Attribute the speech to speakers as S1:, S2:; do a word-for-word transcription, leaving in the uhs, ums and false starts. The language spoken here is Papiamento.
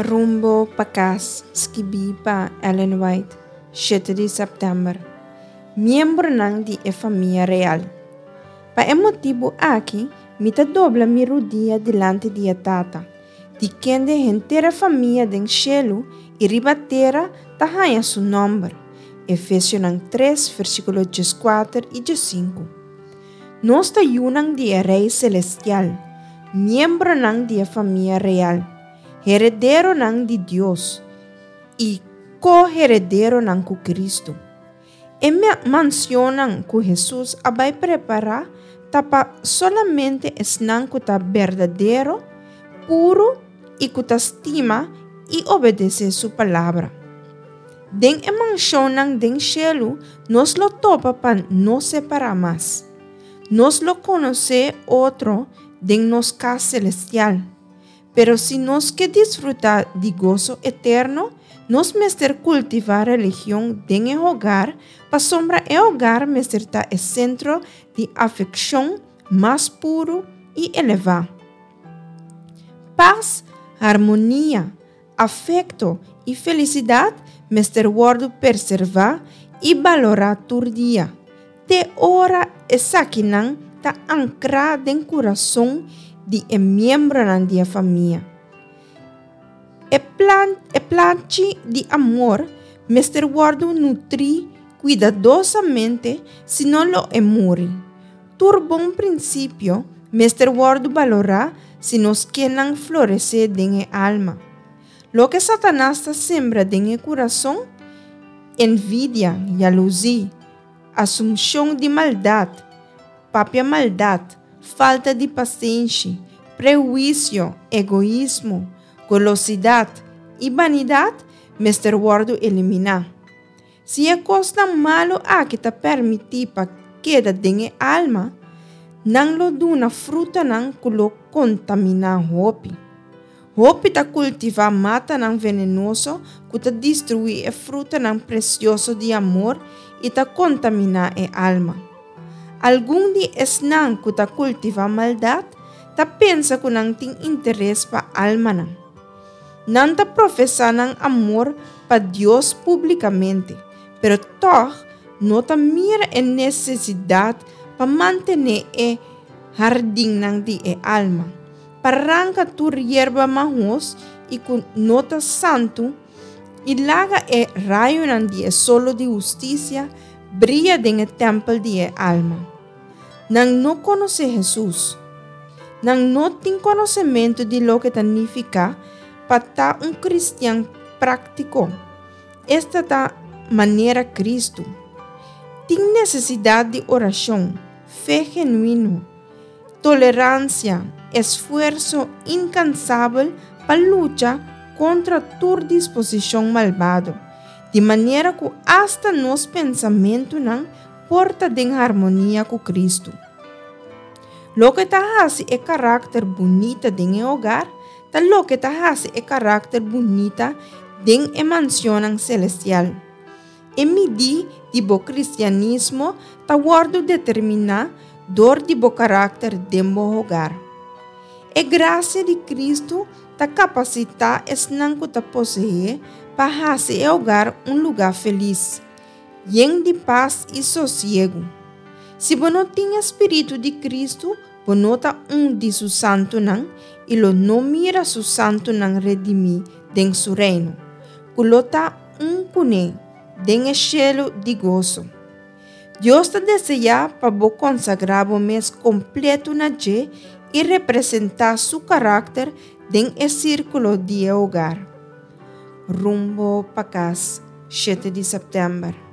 S1: Rumbo pa Kas, skibí pa Ellen White, shete di sèptèmber. Miembronan di e famia real. Pa e motibu aki, mi ta dobla mi rudia dilanti di e Tata, di kende henter e famia den shelu i riba tera ta haña su nòmber. Efesionan tres, versíkulo dieskuater i diesinku. Nos ta yunan di e Rei selestial, miembronan di e famia real, herederonan di Dios i ko-herederonan ku Kristu. E mansionnan ku Hesus a bai prepará ta pa solamente esnan ku ta berdadero, puru i ku ta stima i obedesé su palabra. Den e mansionnan den shelu nos lo topa pa no separá mas. Nos lo konosé otro den nos kas selestial. Pero si nos ke disfrutá di goso eterno, nos mester kultivá religion den e hogar, pasobra e hogar mester ta e sentro di afekshon mas puru i elevá. Pas, harmonia, afekto i felisidat mester wòrdu preservá i balorá tur dia, te ora esakinan ta ankrá den kurason di e miembronan di e famia. E plan, e planchi di amor mester wòrdu nutrí kuidadosamente, sino lo e muri. Tur bon prinsipio mester wòrdu balorá si nos ke nan floresé den e alma. Loke Satanas ta sembra den e kurason, envidia, yaluzí, asumshon di maldat, papia maldat, falta di pasenshi, prehuisio, egoismo, golosidat i banidat, mester wòrdu eliminá. Si e kosnan malu aki ta permití pa keda den e alma, nan lo duna frutanan ku lo kontaminá hopi. Hopi ta kultivá matanan venenoso ku ta destruí e frutanan presioso di amor i ta kontaminá e alma. Algun di esnan ku ta kultivá maldat ta pensa ku nan tin interes pa almanan. Nan ta profesá nan amor pa Dios públikamente, pero tòg no ta mira e nesesidat pa mantené e hardinnan di e alma, pa ranka tur yerba mahos i ku no ta santu i laga e rayonan di e solo di hustisia bria den e tèmpel di e alma. Nan no konosé Hesus. Nan no tin konosementu di loke ta nifiká pa ta un kristian práktiko, esta ta manera Kristu. Tin nesesidat di orashon, fe genuino, toleransia, esfuerso inkansabel pa lucha kontra tur disposishon malbado, di manera ku asta nos pensamentunan por ta den harmonia ku Kristu. Loke ta hasi e karakter bunita den e hogar, ta loke ta hasi e karakter bunita den e mansionnan selestial. E midí di bo kristianismo ta wòrdu determiná dor di bo karakter den bo hogar. E grasia di Kristu ta kapasitá esnan ku ta poseé pa hasi e hogar un lugá felis, yen di pas i sosiegu. Si bo no tin e spiritu di Kristu, bo no ta un di su santunan i lo no mira su santunan redimí den su reino, ku lo ta un kuné den e shelu di goso. Dios ta deseá pa bo konsagrá bo mes kompleto na dje i representá su karakter den e sírkulo di e hogar. Rumbo pa Kas, shete di sèptèmber.